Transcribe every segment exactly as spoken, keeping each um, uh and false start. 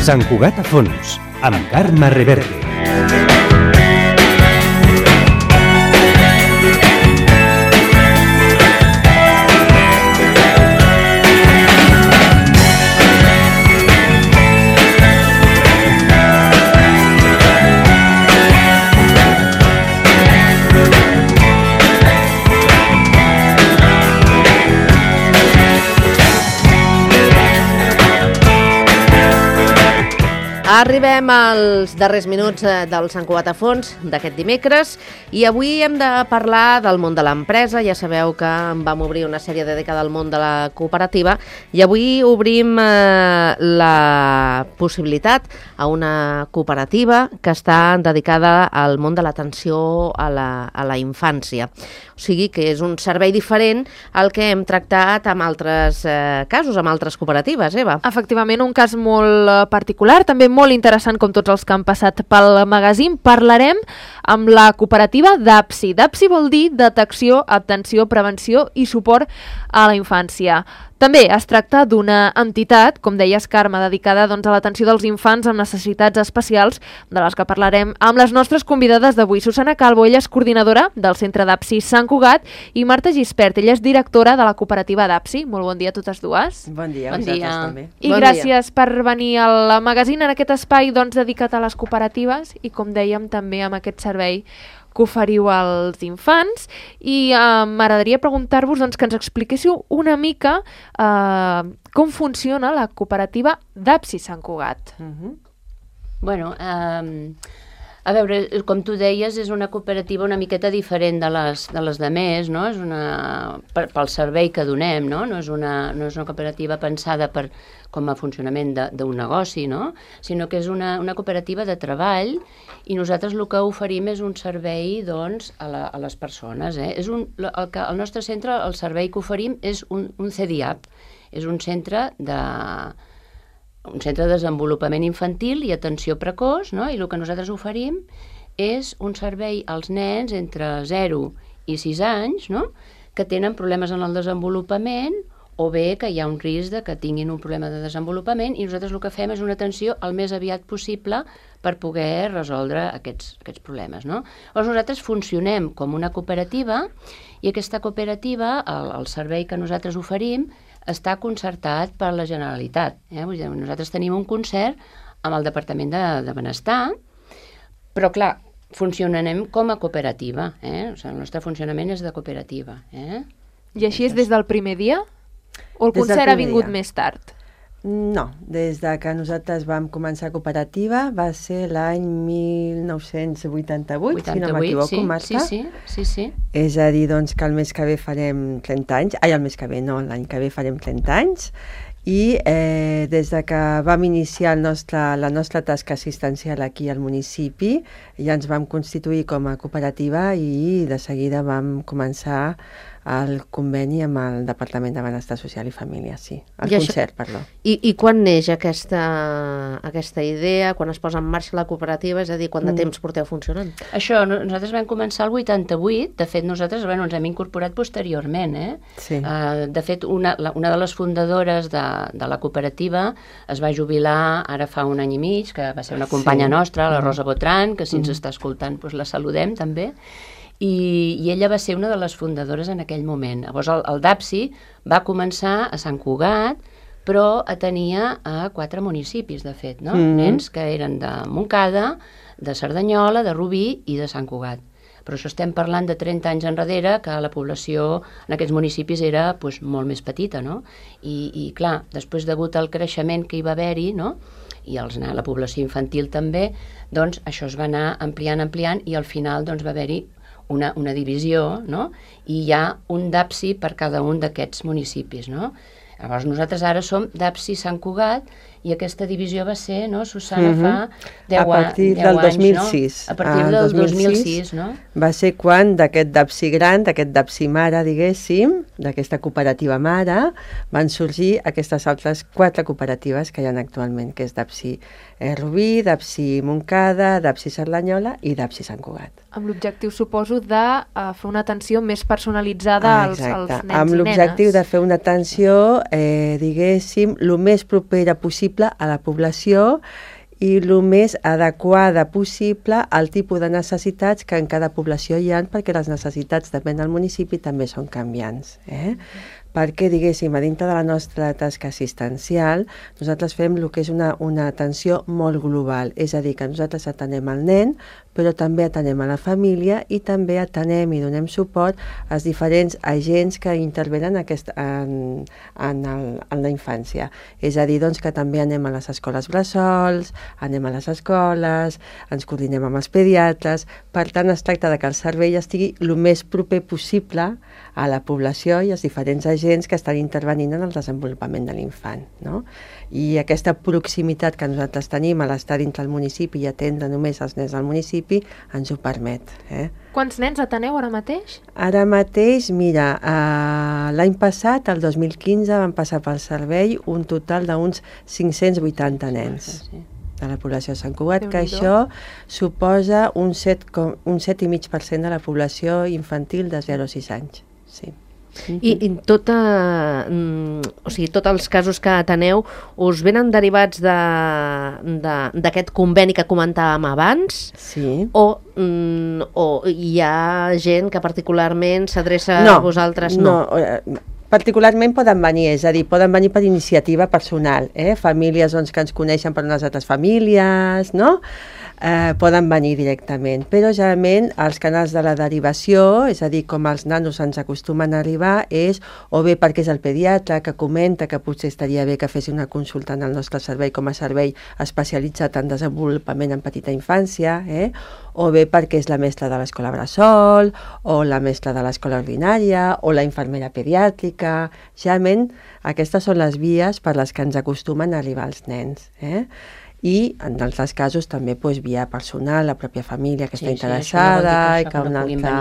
Sant Cugat a fons, amb Carme Reverte. Arribem als darrers minuts del Sant Cugat a fons d'aquest dimecres i avui hem de parlar del món de l'empresa. Ja sabeu que vam obrir una sèrie dedicada al món de la cooperativa i avui obrim eh, la possibilitat a una cooperativa que està dedicada al món de l'atenció a la, a la infància. O sigui que és un servei diferent al que hem tractat amb altres eh, casos, amb altres cooperatives, Eva. Efectivament, un cas molt particular, també molt interessant com tots els que han passat pel magazín. Parlarem amb la cooperativa DAPSI. DAPSI vol dir Detecció, Atenció, Prevenció i Suport a la Infància. També es tracta d'una entitat, com deies, Carme, dedicada doncs, a l'atenció dels infants amb necessitats especials, de les que parlarem amb les nostres convidades d'avui. Susana Calvo, ella és coordinadora del Centre DAPSI Sant Cugat, i Marta Gispert, ella és directora de la cooperativa DAPSI. Molt bon dia a totes dues. Bon dia, bon dia. També. I bon gràcies dia. per venir al magazín en aquest espai doncs, dedicat a les cooperatives i, com dèiem, també amb aquest servei que oferiu als infants. I eh, m'agradaria preguntar-vos doncs, que ens expliquéssiu una mica eh, com funciona la cooperativa DAPSI Sant Cugat. Uh-huh. Bueno, eh, a veure, com tu deies, és una cooperativa una miqueta diferent de les de les demés, no? És una, per, pel servei que donem, no? No és una, no és una cooperativa pensada per, com a funcionament d'un negoci, no? Sinó que és una, una cooperativa de treball i nosaltres el que oferim és un servei doncs, a, la, a les persones. Eh? És un, el, que, el nostre centre, el servei que oferim és un, un C D I A P, és un centre de... un centre de desenvolupament infantil i atenció precoç, no? I el que nosaltres oferim és un servei als nens entre zero i sis anys, no? Que tenen problemes en el desenvolupament o bé que hi ha un risc de que tinguin un problema de desenvolupament i nosaltres el que fem és una atenció el més aviat possible per poder resoldre aquests, aquests problemes, no? Llavors nosaltres funcionem com una cooperativa i aquesta cooperativa, el, el servei que nosaltres oferim, està concertat per la Generalitat. Eh? Vull dir, nosaltres tenim un concert amb el Departament de, de Benestar, però clar, funcionarem com a cooperativa. Eh? O sigui, el nostre funcionament és de cooperativa. Eh? I així és des del primer dia? O el Des concert ha vingut dia. més tard? No, des de que nosaltres vam començar cooperativa va ser l'any mil nou-cents vuitanta-vuit, si no m'equivoco, sí, Marta. Sí, sí, sí, sí. És a dir, doncs, que el mes que ve farem trenta anys. Ai, el mes que ve, no, l'any que ve farem trenta anys. I eh, des de que vam iniciar el nostre, la nostra tasca assistencial aquí al municipi, ja ens vam constituir com a cooperativa i de seguida vam començar el conveni amb el Departament de Benestar Social i Família, sí. El I concert, això, perdó. I, I quan neix aquesta, aquesta idea, quan es posa en marxa la cooperativa, és a dir, quant de Mm. temps porteu funcionant? Això, no- nosaltres vam començar el vuitanta-vuit, de fet nosaltres bueno, ens hem incorporat posteriorment. Eh? Sí. Uh, de fet, una, la, una de les fundadores de, de la cooperativa es va jubilar ara fa un any i mig, que va ser una companya Sí. nostra, la Rosa Botran, que si ens Mm. està escoltant doncs la saludem també. I, i ella va ser una de les fundadores en aquell moment. Llavors el, el DAPSI va començar a Sant Cugat, però atenia a quatre municipis, de fet, no? Mm. Nens que eren de Montcada, de Cerdanyola, de Rubí i de Sant Cugat. Però això estem parlant de trenta anys enrere, que la població en aquests municipis era doncs, molt més petita, no? I, i clar, després degut al creixement que hi va haver-hi, no? I els, la població infantil també, doncs això es va anar ampliant, ampliant, i al final doncs, va haver-hi una, una divisió, no? I hi ha un DAPSI per cada un d'aquests municipis, no? Llavors nosaltres ara som DAPSI Sant Cugat i aquesta divisió va ser, no, Susana, Mhm. fa deu, A partir deu del anys, dos mil sis. no? A partir Ah, del dos mil dos mil sis sis, no? Va ser quan d'aquest DAPSI gran, d'aquest DAPSI mare, diguéssim, d'aquesta cooperativa mare, van sorgir aquestes altres quatre cooperatives que hi ha actualment, que és DAPSI eh, Rubí, DAPSI Montcada, DAPSI Cerdanyola i DAPSI Sant Cugat. Amb l'objectiu, suposo, de uh, fer una atenció més personalitzada als, als nens amb i l'objectiu nenes. de fer una atenció, eh, diguéssim, el més propera possible possible a la població i el més adequada possible al tipus de necessitats que en cada població hi ha, perquè les necessitats, depèn del municipi, també són canviants. Eh? Perquè, diguéssim, a dintre de la nostra tasca assistencial, nosaltres fem el que és una, una atenció molt global, és a dir, que nosaltres atenem el nen, però també atenem a la família i també atenem i donem suport als diferents agents que intervenen aquest, en, en, el, en la infància. És a dir, doncs, que també anem a les escoles bressols, anem a les escoles, ens coordinem amb els pediatres, per tant es tracta de que el servei estigui el més proper possible a la població i als diferents agents que estan intervenint en el desenvolupament de l'infant, no? I aquesta proximitat que nosaltres tenim a l'estar dintre del municipi i atendre només els nens del municipi ens ho permet. Eh? Quants nens ateneu ara mateix? Ara mateix, mira, eh, l'any passat, el dos mil quinze, van passar pel servei un total d'uns cinc-cents vuitanta nens de la població de Sant Cugat, que això suposa un set, un set coma cinc per cent de la població infantil de zero a sis anys. Sí. I, i tota, mm, o sigui, tots els casos que ateneu us venen derivats d'aquest de, conveni que comentàvem abans? Sí. O, mm, o hi ha gent que particularment s'adreça no, a vosaltres? No, no. Particularment poden venir, és a dir, poden venir per iniciativa personal, eh? Famílies doncs, que ens coneixen per unes altres famílies, no? Eh, poden venir directament, però generalment els canals de la derivació, és a dir, com els nanos ens acostumen a arribar, és o bé perquè és el pediatre que comenta que potser estaria bé que fes una consulta en el nostre servei com a servei especialitzat en desenvolupament en petita infància, eh? O bé perquè és la mestra de l'escola bressol, o la mestra de l'escola ordinària, o la infermera pediàtrica. Generalment aquestes són les vies per les que ens acostumen a arribar els nens, eh? I en altres casos també doncs, via personal, la pròpia família que sí, està interessada sí, i que una altra,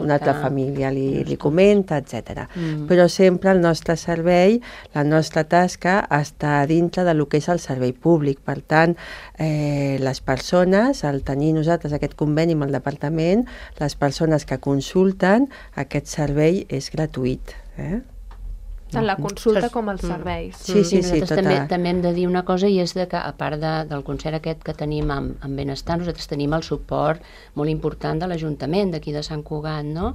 una altra família li, li comenta, etcètera. Mm. Però sempre el nostre servei, la nostra tasca està dintre de lo que és el servei públic. Per tant, eh, les persones, al tenir nosaltres aquest conveni amb el departament, les persones que consulten, aquest servei és gratuït. Eh? Tant la consulta com els serveis. Sí, sí, sí. Nosaltres també, també hem de dir una cosa, i és de que, a part de, del concert aquest que tenim amb, amb Benestar, nosaltres tenim el suport molt important de l'Ajuntament d'aquí de Sant Cugat, no?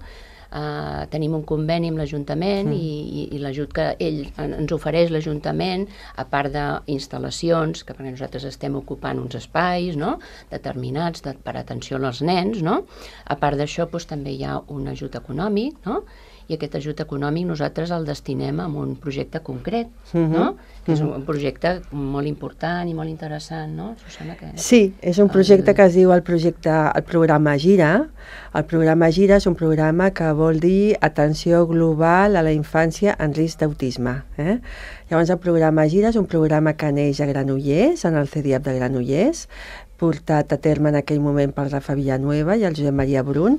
Uh, tenim un conveni amb l'Ajuntament mm. i, i, i l'ajut que ell ens ofereix l'Ajuntament, a part d'instal·lacions, que perquè nosaltres estem ocupant uns espais, no?, determinats de, per atenció als nens, no? A part d'això, doncs, també hi ha un ajut econòmic, no?, i aquest ajut econòmic nosaltres el destinem a un projecte concret, mm-hmm. no? Que és un projecte molt important i molt interessant, no, Susana? Que... Sí, és un projecte que es diu el projecte, el programa Gira. El programa Gira és un programa que vol dir atenció global a la infància en risc d'autisme. Eh? Llavors el programa Gira és un programa que neix a Granollers, en el C D I A P de Granollers, portat a terme en aquell moment pel Rafa Villanueva i el Josep Maria Brun,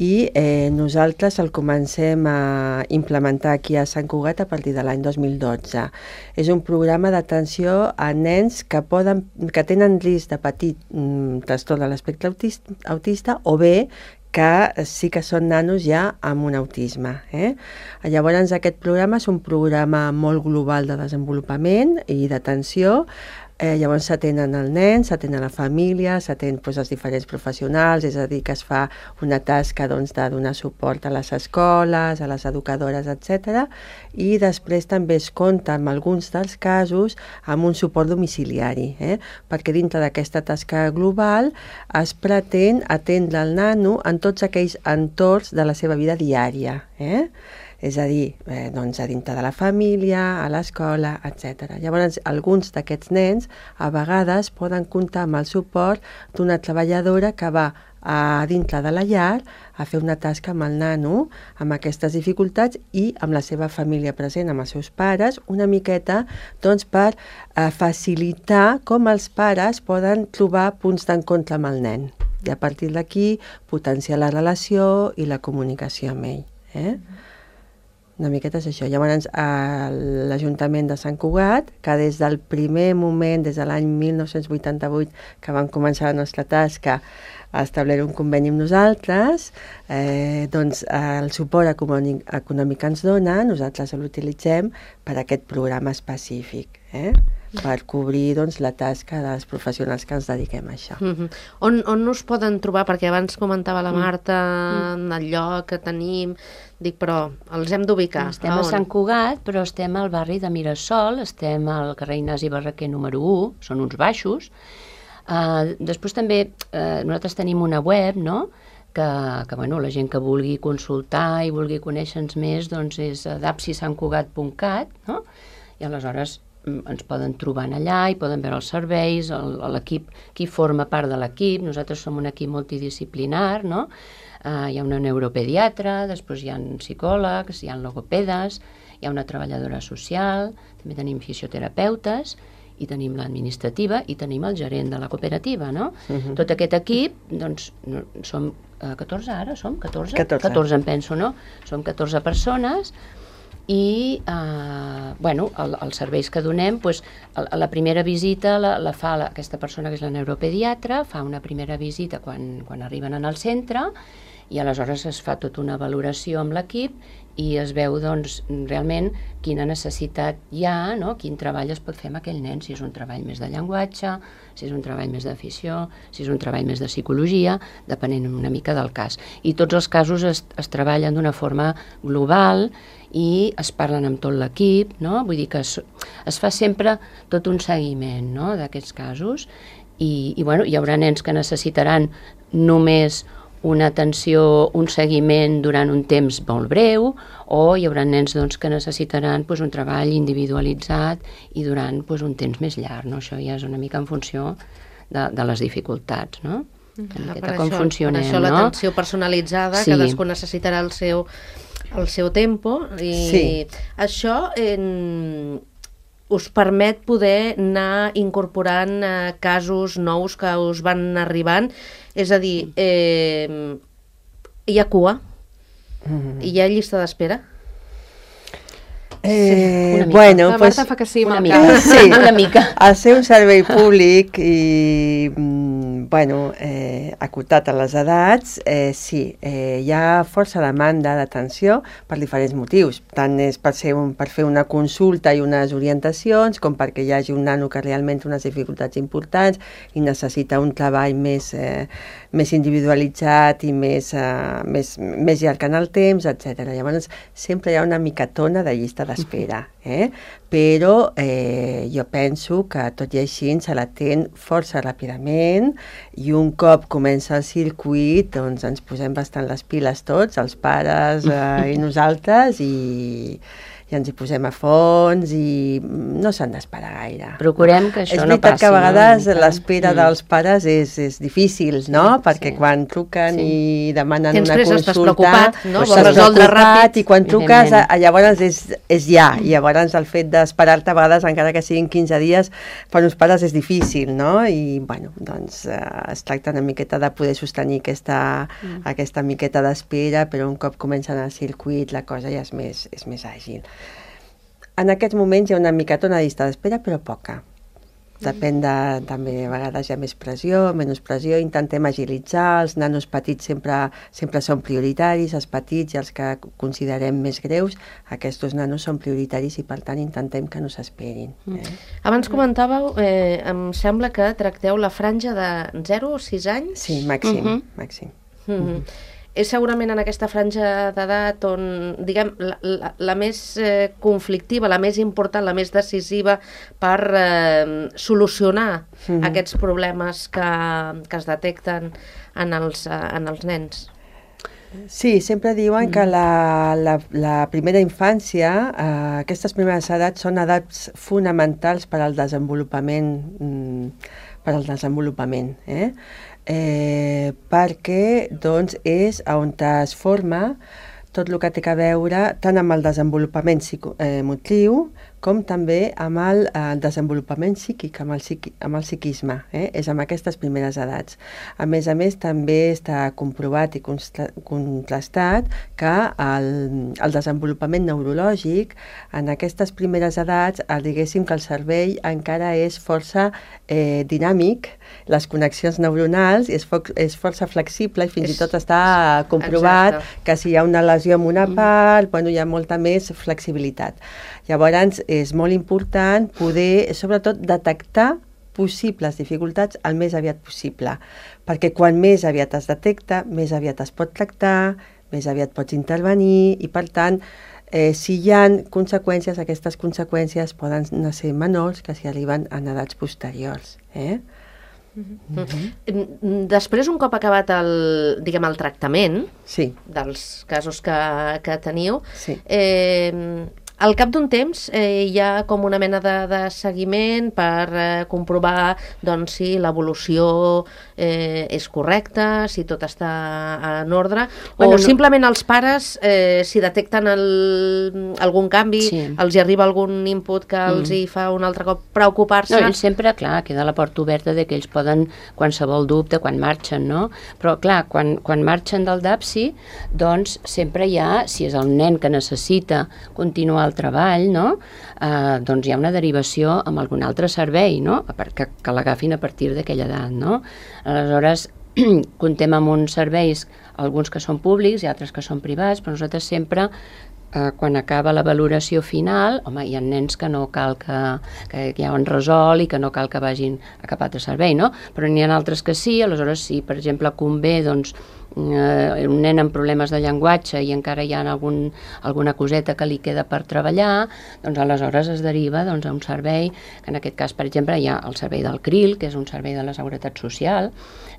i eh, nosaltres el comencem a implementar aquí a Sant Cugat a partir de l'any dos mil dotze. És un programa d'atenció a nens que, poden, que tenen risc de patir mm, trastorn de l'espectre autista, autista o bé que sí que són nanos ja amb un autisme. Eh? Llavors aquest programa és un programa molt global de desenvolupament i d'atenció. Eh, llavors s'atenen el nen, s'atenen la família, s'atenen doncs, els diferents professionals, és a dir, que es fa una tasca doncs, de donar suport a les escoles, a les educadores, etcètera. I després també es compta en alguns dels casos amb un suport domiciliari, eh? Perquè dintre d'aquesta tasca global es pretén atendre el nano en tots aquells entorns de la seva vida diària, eh? És a dir, eh, doncs a dintre de la família, a l'escola, etcètera. Llavors, alguns d'aquests nens a vegades poden comptar amb el suport d'una treballadora que va a dintre de la llar a fer una tasca amb el nano, amb aquestes dificultats i amb la seva família present, amb els seus pares, una miqueta doncs, per eh, facilitar com els pares poden trobar punts d'encontre amb el nen. I a partir d'aquí potenciar la relació i la comunicació amb ell. Eh? Una miqueta és això. Llavors, l'Ajuntament de Sant Cugat, que des del primer moment, des de l'any mil nou-cents vuitanta-vuit, que vam començar la nostra tasca, a establir un conveni amb nosaltres, eh, doncs el suport econòmic, econòmic que ens dona, nosaltres l'utilitzem per a aquest programa específic, eh? per cobrir doncs, la tasca dels professionals que ens dediquem a això. Mm-hmm. On, on us poden trobar? Perquè abans comentava la Marta mm. el lloc que tenim, dic, però els hem d'ubicar. Estem a, a Sant Cugat, però estem al barri de Mirasol, estem al carrer Ignasi Barraquer número u, són uns baixos. Uh, després també uh, nosaltres tenim una web, no?, que, que bueno, la gent que vulgui consultar i vulgui conèixer-nos més doncs és dapsi sant cugat punt cat, no?, i aleshores ens poden trobar allà i poden veure els serveis, l'equip, qui forma part de l'equip. Nosaltres som un equip multidisciplinar, no? Uh, hi ha una neuropediatra, després hi ha psicòlegs, hi ha logopedes, hi ha una treballadora social, també tenim fisioterapeutes, i tenim l'administrativa i tenim el gerent de la cooperativa, no? Uh-huh. Tot aquest equip, doncs, som uh, catorze ara, som? catorze? catorze. catorze em penso, no? Som catorze persones i, uh, bueno, el, els serveis que donem, doncs, a, a la primera visita la, la fa la, aquesta persona que és la neuropediatra, fa una primera visita quan, quan arriben en el centre i aleshores es fa tota una valoració amb l'equip i es veu doncs, realment quina necessitat hi ha, no? Quin treball es pot fer amb aquell nen, si és un treball més de llenguatge, si és un treball més d'afició, si és un treball més de psicologia, depenent una mica del cas. I tots els casos es, es treballen d'una forma global i es parlen amb tot l'equip, no? Vull dir que es, es fa sempre tot un seguiment, no?, d'aquests casos i, i bueno, hi haurà nens que necessitaran només una atenció, un seguiment durant un temps molt breu, o hi haurà nens doncs, que necessitaran doncs, un treball individualitzat i durant doncs, un temps més llarg. No? Això ja és una mica en funció de, de les dificultats, no? Una miqueta com funcionem, per això no? l'atenció personalitzada, Sí. cadascú necessitarà el seu, el seu tempo, i Sí. això en, us permet poder anar incorporant eh, casos nous que us van arribant, és a dir, eh, hi ha cua, Mm. hi ha llista d'espera. Eh, una mica. bueno, La pues, Marta fa que sí, Una amb el mica, cap. Sí. una mica. al ser un servei públic i, mm, bueno, eh, acotat a les edats, eh, sí, eh, hi ha força demanda d'atenció per diferents motius. Tant és per, ser un, per fer una consulta i unes orientacions, com perquè hi hagi un nano que realment té unes dificultats importants i necessita un treball més, eh, més individualitzat i més, eh, més, més llarg en el temps, etcètera. Llavors, sempre hi ha una micatona de llista d'espera, eh? Però eh, jo penso que tot i així se l'atén força ràpidament i un cop comença el circuit doncs ens posem bastant les piles tots, els pares eh, i nosaltres, i, i ens hi posem a fons i no s'han d'esperar gaire. Procurem que això és no veritat passi. que a vegades no? l'espera Mm. dels pares és, és difícil, no? Perquè sí. quan truquen Sí. i demanen Tens una pressa, consulta... estàs preocupat, no? Pues Vols estàs resoldre preocupat ràpid. i quan truques, Evidentment. a, llavors és, és ja, i llavors el fet d'esperar-te a vegades, encara que siguin quinze dies, per uns pares és difícil, no? I, bueno, doncs eh, es tracta una miqueta de poder sostenir aquesta, mm. aquesta miqueta d'espera, però un cop comencen el circuit la cosa ja és més, és més àgil. En aquests moments hi ha una micatona de llista d'espera, però poca. Depèn de, també, a vegades hi ha més pressió, menys pressió, intentem agilitzar, els nanos petits sempre, sempre són prioritaris, els petits i els que considerem més greus, aquests nanos són prioritaris i per tant intentem que no s'esperin. Eh? Abans comentàveu, eh, em sembla que tracteu la franja de zero a sis anys. Sí, màxim, Mhm. màxim. Mm-hmm. És segurament en aquesta franja d'edat on, diguem, la, la, la més eh, conflictiva, la més important, la més decisiva per eh, solucionar Mhm. aquests problemes que, que es detecten en els, eh, en els nens. Sí, sempre diuen que la, la, la primera infància, eh, aquestes primeres edats són edats fonamentals per al desenvolupament, mm, per al desenvolupament, eh? Eh, perquè doncs, és on es forma tot el que té a veure tant amb el desenvolupament psico, eh, motriu com també amb el eh, desenvolupament psíquic, amb el, psiqui, amb el psiquisme, eh? És amb aquestes primeres edats. A més a més, també està comprovat i contrastat que el, el desenvolupament neurològic en aquestes primeres edats, eh, diguéssim que el cervell encara és força eh, dinàmic, les connexions neuronals és, fo és força flexible i fins És, i tot està comprovat exacte. que si hi ha una lesió ocasió en una part, bueno, hi ha molta més flexibilitat. Llavors, és molt important poder, sobretot, detectar possibles dificultats el més aviat possible, perquè quan més aviat es detecta, més aviat es pot tractar, més aviat pots intervenir i, per tant, eh, si hi ha conseqüències, aquestes conseqüències poden ser menors que si arriben en edats posteriors. Eh? Mm-hmm. Després, un cop acabat el, diguem, el tractament sí. dels casos que, que teniu, sí. eh, al cap d'un temps eh, hi ha com una mena de, de seguiment per eh, comprovar doncs, si l'evolució eh, és correcta, si tot està en ordre, bueno, o no... simplement els pares, eh, si detecten el, algun canvi, sí. els hi arriba algun input que els mm. hi fa un altre cop preocupar-se. No, ells sempre, clar, queda la porta oberta de que ells poden, qualsevol dubte, quan marxen, no? Però, clar, quan, quan marxen del DAPSI, doncs sempre hi ha, si és el nen que necessita continuar el treball, no? Eh, doncs hi ha una derivació amb algun altre servei, no? Que, que l'agafin a partir d'aquella edat, no? Aleshores, comptem amb uns serveis, alguns que són públics i altres que són privats, però nosaltres sempre, eh, quan acaba la valoració final, home, hi ha nens que no cal que, que ja ho han resolt i que no cal que vagin a cap altre servei, no? Però n'hi ha altres que sí, aleshores si, per exemple, convé, doncs, Uh, un nen amb problemes de llenguatge i encara hi ha algun, alguna coseta que li queda per treballar, doncs aleshores es deriva doncs, a un servei, que en aquest cas, per exemple, hi ha el servei del C R I L, que és un servei de la Seguretat Social,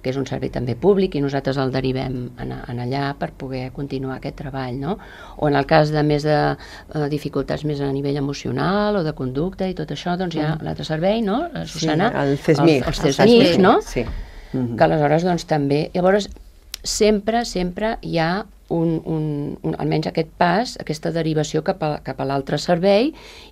que és un servei també públic, i nosaltres el derivem en, en allà per poder continuar aquest treball, no? O en el cas de més de uh, dificultats més a nivell emocional o de conducta i tot això, doncs hi ha l'altre servei, no, Susana? Sí, el CESMIC. Els, els CESMIC, no? Sí. Mm-hmm. Que aleshores, doncs, també... Llavors, sempre, sempre hi ha un, un, un, almenys aquest pas, aquesta derivació cap a, cap a l'altre servei,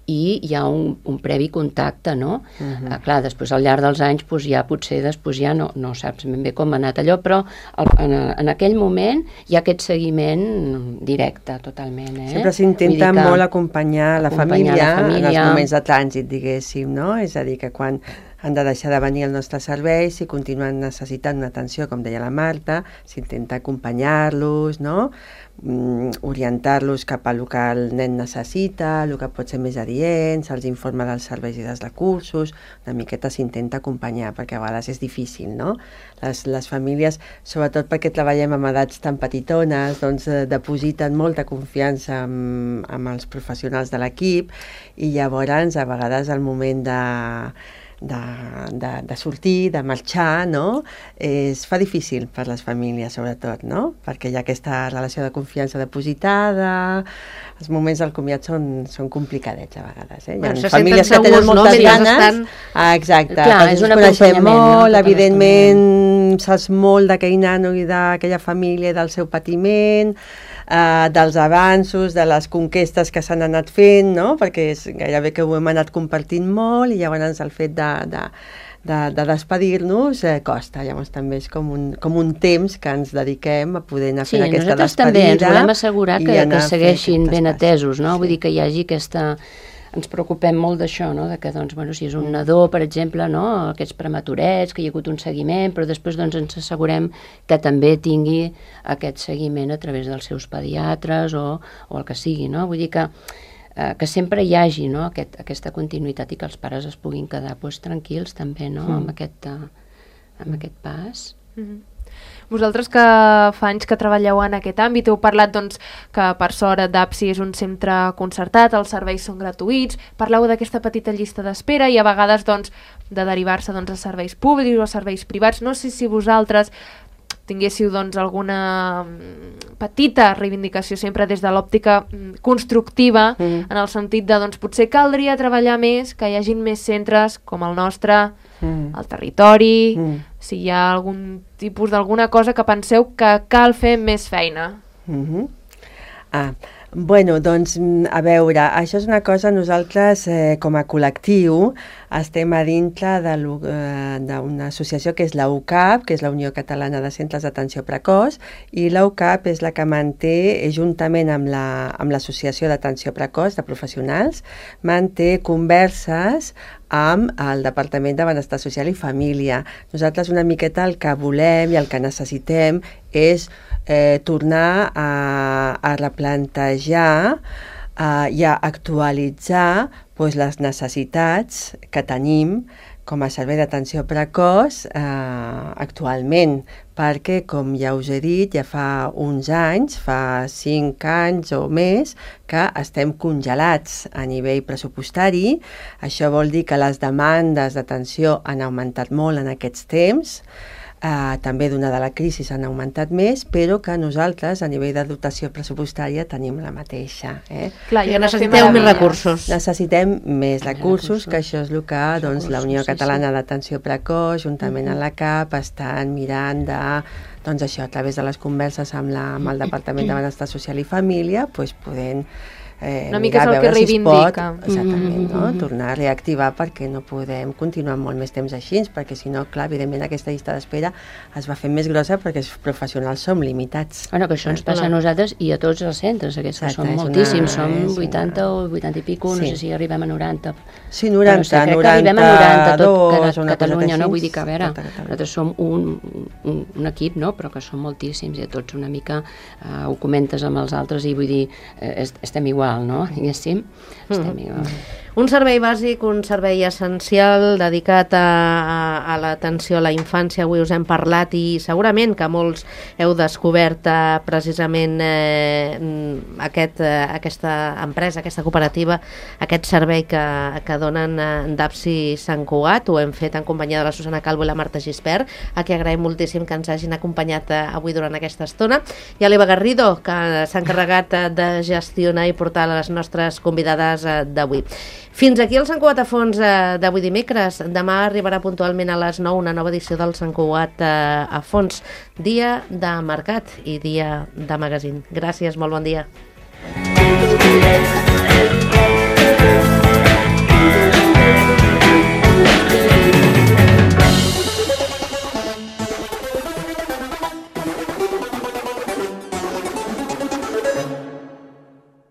i hi ha un, un previ contacte, no? Uh-huh. Ah, clar, després al llarg dels anys doncs ja potser després ja no, no saps ben bé com ha anat allò, però el, en, en aquell moment hi ha aquest seguiment directe totalment. Eh? Sempre s'intenta molt acompanyar la família, la família en els moments de trànsit, diguéssim, no? És a dir, que quan han de deixar de venir al nostre servei, si continuen necessitant una atenció, com deia la Marta, s'intenta acompanyar-los, no? Mm, orientar-los cap a el que el nen necessita, el que pot ser més adient, se'ls informa dels serveis i dels recursos, una miqueta s'intenta acompanyar, perquè a vegades és difícil, no? Les, les famílies, sobretot perquè treballem amb edats tan petitones, doncs eh, depositen molta confiança amb, amb els professionals de l'equip, i llavors a vegades al moment de... De, de, de sortir, de marxar, no? Es fa difícil per les famílies, sobretot, no? Perquè hi ha aquesta relació de confiança depositada, els moments del comiat són, són complicadets a vegades. Eh? Hi ha bueno, famílies que segurs, tenen moltes no? ganes. Estan... Ah, exacte, clar, és un acompanyament molt, no? evidentment saps molt d'aquell nano i d'aquella família i del seu patiment, Uh, dels avanços, de les conquestes que s'han anat fent, no? Perquè és gairebé que ho hem anat compartint molt, i llavors el fet de, de, de, de despedir-nos eh, costa. Llavors també és com un, com un temps que ens dediquem a poder anar sí, fent aquesta despedida. Sí, nosaltres també ens volem assegurar que, que segueixin ben passes. atesos, no? Sí. Vull dir que hi hagi aquesta... Ens preocupem molt d'això, no? De que, doncs, bueno, si és un nadó, per exemple, no? Aquests prematurets, que hi ha hagut un seguiment, però després doncs, ens assegurem que també tingui aquest seguiment a través dels seus pediatres o, o el que sigui, no? Vull dir que, eh, que sempre hi hagi, no? Aquest, aquesta continuïtat i que els pares es puguin quedar pues, tranquils també, no? Mm. Amb, aquest, uh, amb aquest pas. Mm-hmm. Vosaltres que fa anys que treballeu en aquest àmbit, heu parlat doncs, que per sort DAPSI és un centre concertat, els serveis són gratuïts, parleu d'aquesta petita llista d'espera i a vegades doncs, de derivar-se doncs, a serveis públics o a serveis privats. No sé si vosaltres tinguéssiu doncs, alguna petita reivindicació sempre des de l'òptica constructiva, mm. en el sentit de doncs, potser caldria treballar més, que hi hagin més centres com el nostre, mm. al territori, mm. si hi ha algun tipus d'alguna cosa que penseu que cal fer més feina. Mm-hmm. Ah, bueno, doncs, a veure, això és una cosa, nosaltres eh, com a col·lectiu estem a dintre d'una associació que és la U C A P, que és la Unió Catalana de Centres d'Atenció Precoç, i la U C A P és la que manté, juntament amb l'Associació la, d'Atenció Precoç de Professionals, manté converses amb el Departament de Benestar Social i Família. Nosaltres una miqueta el que volem i el que necessitem és eh, tornar a, a replantejar uh, i a actualitzar pues, les necessitats que tenim com a servei d'atenció precoç eh, actualment, perquè, com ja us he dit, ja fa uns anys, fa cinc anys o més, que estem congelats a nivell pressupostari. Això vol dir que les demandes d'atenció han augmentat molt en aquests temps, Uh, també donada la crisi han augmentat més, però que nosaltres a nivell de dotació pressupostària tenim la mateixa. Eh? Clar, i necessiteu més recursos. Necessitem més recursos, que això és el que doncs, la Unió Catalana d'Atenció Precoç, juntament amb la C A P, estan mirant de, doncs això, a través de les converses amb, la, amb el Departament de Benestar Social i Família, doncs podent Eh, una mica és el que reivindica. Si pot, exactament, no? Tornar a reactivar perquè no podem continuar molt més temps així, perquè si no, clar, evidentment aquesta llista d'espera es va fer més grossa perquè els professionals som limitats. Bueno, que això ens passa a nosaltres i a tots els centres, aquests que són moltíssims, som vuitanta o vuitanta i pico, no sé si arribem a noranta. Sí, noranta, noranta-dos, a Catalunya, no? Vull dir que, a veure, nosaltres som un, un, un equip, no? Però que som moltíssims i a tots una mica eh, ho comentes amb els altres i vull dir, eh, estem igual, no? Diguéssim, estem igual. Un servei bàsic, un servei essencial dedicat a, a, a l'atenció a la infància. Avui us hem parlat i segurament que molts heu descobert eh, precisament eh, aquest, eh, aquesta empresa, aquesta cooperativa, aquest servei que, que donen eh, d'APSI Sant Cugat. Ho hem fet en companyia de la Susana Calvo i la Marta Gispert, a qui agraïm moltíssim que ens hagin acompanyat eh, avui durant aquesta estona, i a l'Eva Garrido, que s'ha encarregat eh, de gestionar i portar les nostres convidades eh, d'avui. Fins aquí el Sant Cugat a fons eh, d'avui dimecres. Demà arribarà puntualment a les nou una nova edició del Sant Cugat eh, a fons. Dia de mercat i dia de magazín. Gràcies, molt bon dia.